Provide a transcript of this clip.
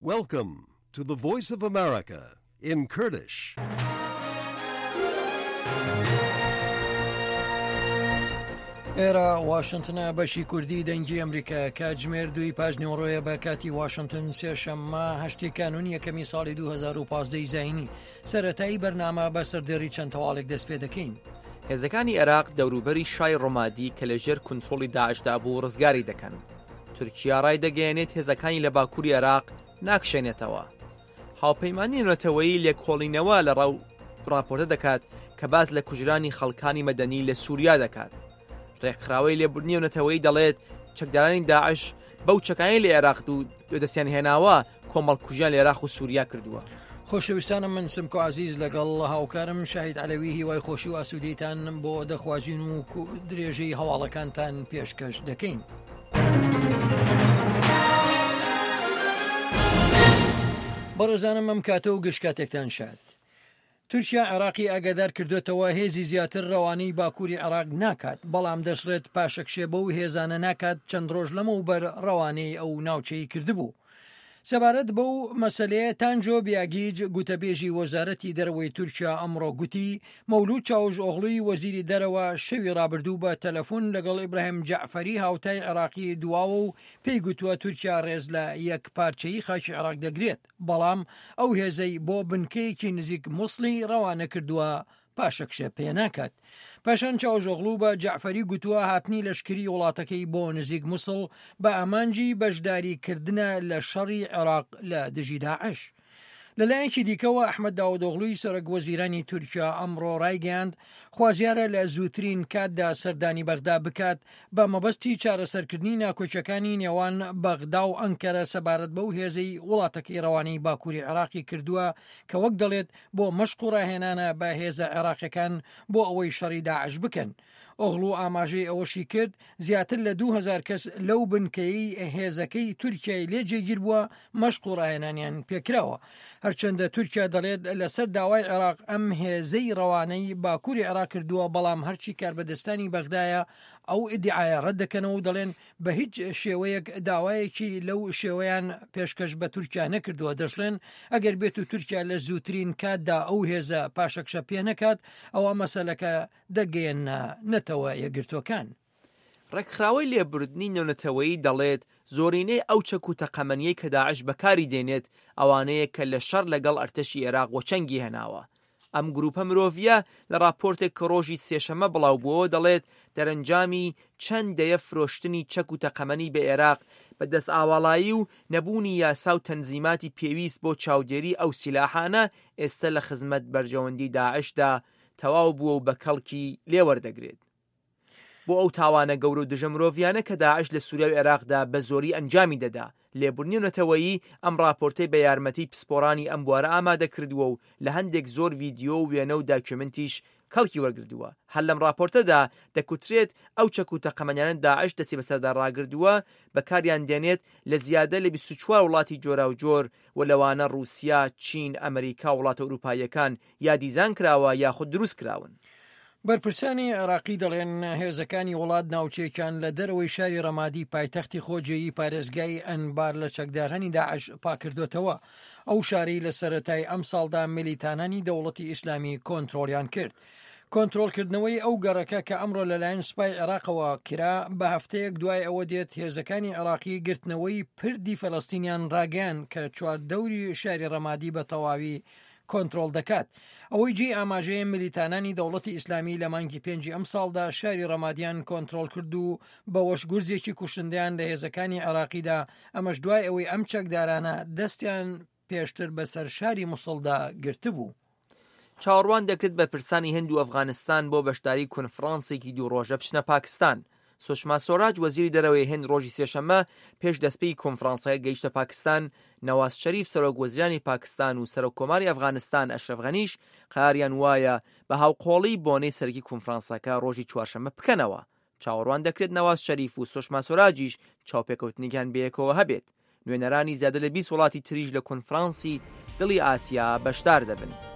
Welcome to the Voice of America in Kurdish. ئێرە واشنتنە بەشی کوردی دەنگی ئەمریکا کاتژمێر دوی پاش نیوەڕۆیە بە کاتی واشنتن سێشەممە هەشتی کانون یەکەمی ساڵی 2015 زینی سەرەتایی بەرنامە بە سەردێڕی چەند هەواڵێک دەست پێ دەکەین. هێزەکانی عێراق دەوروبەری شای ڕۆمادی کە لە ژێر کونترۆڵی داعشدا بوو ڕزگاری دەکەن. تورکیا ڕایدەگەیەنێت هێزەکانی لە باکووری عێراق ناکشێنێتەوە. هاوپەیمانی نێونەتەوەیی لێکۆڵینەوە لە ڕەو ڕاپۆرتە دەکات کە باس لە کوژرانی خەڵکانی مەدەنی لە سووریا دەکات. ڕێکخراوەی لێبوردنی نێونەتەوەیی دەڵێت چەکدارانی داعش بەو چەکانی لە عێراق و دەستیان هێناوە کۆمەڵکوژیان لە عێراق و سووریا کردووە. خۆشەویستانم من سمکۆ عزیز لەگەڵ هاوکارم شاهید عەلەوی هیوای خۆشی و ئاسوودەیتان بۆ دەخوازین و درێژەی هەواڵەکانتان پێشکەش دەکەین. بەڕێزانم ئەم کاتە و گشت کاتێکتان شاد. تورکیا عێراقی ئاگادار کردوێتەوە هێزی زیاتر رەوانەی باکووری عێراق ناکات، بەڵام دەشڵێت پاشەکشێ بەو هێزانە ناکات چەند رۆژ لەمەوبەر رەوانەی ئەو ناوچەی کردبوو. سەبارەت بەو مەسەلەیە تانجۆ بیاگیج گوتەبێژی وەزارەتی دەرەوەی تورکیا ئەمڕۆ گوتی، مەولود چاوشئۆغڵوی وەزیری دەرەوە شەوی رابردوو بە تەلەفون لەگەڵ ئیبراهیم جەعفەری هاوتای عێراقی دواوە و پێی گوتووە تورکیا رێز لە یەکپارچەیی خاکی عێراق دەگرێت. بەڵام ئەو هێزەی بۆ بنکەیەکی نزیک موسڵی ڕەوانە کردووە پاشەکشە پێ ناکات. پاشان چاوشئۆغڵو بە جەعفەری گوتووە هاتنی لەشکری وڵاتەکەی بۆ نزیک موسڵ بە ئامانجی بەشداری کردنە لە شەڕی عێراق لە دژی داعش. لەلایەکی دیکەوە ئەحمەد داودئۆغڵوی سەرۆک وەزیرانی تورکیا ئەمڕۆ ڕایگەیاند خوازیارە لە زووترین کاتدا سەردانی بەغدا بکات بە مەبەستی چارەسەرکردنی ناکۆکیەکانی نێوان بەغدا و ئەنکەرە سەبارەت بەو هێزەی وڵاتەکەی ڕەوانەی باکووری عێراقی کردووە کە وەک دەڵێت بۆ مەشق و ڕاهێنانە بە هێزە عێراقیەکان بۆ ئەوەی شەڕی داعش بکەن. ئۆغڵو ئاماژەی ئەوەشی کرد، زیاتر لە 2000 کەس لەو بنکەیەی هێزەکەی تورکیای لێ جێگیر بووە مەشق و ڕاهێنانیان پێکراوە. هەرچەندە تورکیا دەڵێت لەسەر داوای عێراق ئەم هێزەی ڕەوانەی باکووری عێراق کردووە، بەڵام هەرچی کاربەدەستانی بەغدایە ئەو ئیدیعایە ڕەت دەکەنەوە و دەڵێن بە هیچ شێوەیەک داوایەکی لەو شێوەیان پێشکەش بە تورکیا نەکردووە، دەشڵێن ئەگەر بێت و تورکیا لە زووترین کاتدا ئەو هێزە پاشەکشە پێ نەکات ئەوا مەسەلەکە دەگەیەننە نەتەوە یەکگرتووەکان. ڕێکخراوەی لێبوردنی نێونەتەوەیی دەڵێت زۆرینەی ئەو چەک و تەقەمەنیەی کە داعش بەکاری دێنێت ئەوانەیە کە لە شەڕ لەگەڵ ئەرتەشی ئێراق وەچەنگی هێناوە. ئەم گروپە مرۆڤیە لە ڕاپۆرتێک کە ڕۆژی سێشەممە بڵاو بووەوە دەڵێت دەرەنجامی چەند دەیە فرۆشتنی چەک و تەقەمەنی بە ئێراق بە دەستئاواڵایی و نەبوونی یاسا و تەنزیماتی پێویست بۆ چاودێری ئەو سیلاحانە ئێستە لە خزمەت بەرژەوەندی داعشدا تەواو بووە و بە کەڵکی لێ وەردەگرێت. بۆ ئەو تاوانە گەورە و دژە مرۆڤیانە کە داعش لە سوریا و عێراقدا بە زۆری ئەنجامی دەدا. لێبوردنی نەتەوەیی ئەم ڕاپۆرتەی بە یارمەتی پسپۆڕانی ئەم بوارە ئامادە کردووە و لە هەندێک زۆر ڤیدیۆ و وێنە و داکیۆمنتیش کەڵکی وەرگردووە. هەر لەم ڕاپۆرتەدا دەکوترێت ئەو چەک و تەقەمەنیانە داعش دەستی بەسەردا ڕاگردووە بەکاریان دێنێت لە زیادە لە 24 وڵاتی جۆراوجۆر و لەوانە ڕووسیا، چین، ئەمریکا و وڵاتە ئورووپاییەکان یا دیزان کراوە یاخود دروست کراون. بەرپرسانی عێراقی دەڵێن، هێزەکانی وڵات ناوچەیەکیان لە دەرەوەی شاری رەمادی پایتەختی خۆجێیی پارێزگای ئەنبار لە چەکدارانی داعش پاککردۆتەوە، ئەو شارەی لە سەرەتای ئەمساڵدا میلیتانانی دەوڵەتی ئیسلامی کۆنترۆڵیان کرد. کۆنترۆڵکردنەوەی ئەو گەڕەکە کە ئەمڕۆ لەلایەن سوپای عێراقەوە کرا، بە هەفتەیەک دوای ئەوە دێت هێزەکانی عێراقی گرتنەوەی پردی فەلەستینیان راگەیاند کە چواردەوری شاری رەمادی بە تەواوی کۆنترۆڵ دەکات. ئەوەی جێی ئاماژەیە ملیتانانی دەوڵەتی ئیسلامی لە مانگی پێنجی ئەمساڵدا شاری ڕەمادیان کۆنترۆڵ کرد و بەوەش گورزێکی کوشندەیان لە هێزەکانی عێراقیدا، ئەمەش دوای ئەوەی ئەم چەکدارانە دەستیان پێشتر بەسەر شاری موسڵدا گرتبوو. چاوەڕوان دەکرێت بەرپرسانی هند و ئەفغانستان بۆ بەشداری کۆنفرانسێکی دوو ڕۆژە بچنە پاکستان. سوشما سۆراج وەزیری دەرەوەی هند ڕۆژی سێشەممە پێش دەستپێکی کۆنفرانسەکە گەیشتە پاکستان، نەواز شەریف سەرۆک وەزیرانی پاکستان و سەرۆک کۆماری ئەفغانستان ئەشرەف غەنیش قەراریان وایە بە هاوقۆڵی بۆنەی سەرەکی کۆنفرانسەکە ڕۆژی چوارشەممە بکەنەوە. چاوەڕوان دەکرێت نەواز شەریف و سۆشما سۆراجیش چاوپێکەوتنێکیان بەیەکەوە هەبێت. نوێنەرانی زیادە لە 20 وڵاتی تریش لە کۆنفرانسی دڵی ئاسیا بەشدار دەبن.